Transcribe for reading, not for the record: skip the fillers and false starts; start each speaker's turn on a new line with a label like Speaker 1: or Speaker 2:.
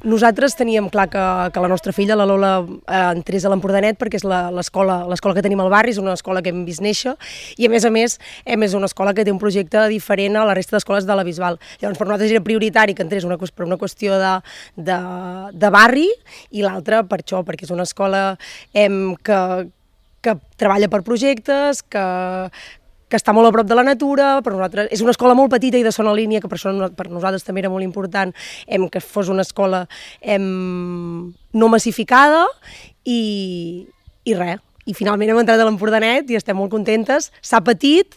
Speaker 1: Nosaltres teníem clar que la nostra filla, la Lola, entrés a l'Empordanet perquè és l'escola que tenim al barri, és una escola que hem vist néixer i a més és una escola que té un projecte diferent a la resta d'escoles de la Bisbal. Llavors per nosaltres era prioritari que entrés per una qüestió de barri i l'altra per això, perquè és una escola que treballa per projectes, que està molt a prop de la natura, per nosaltres és una escola molt petita i de zona línia, que per això per nosaltres també era molt important que fos una escola no massificada i res. I finalment hem entrat a l'Empordanet i estem molt contentes. S'ha patit,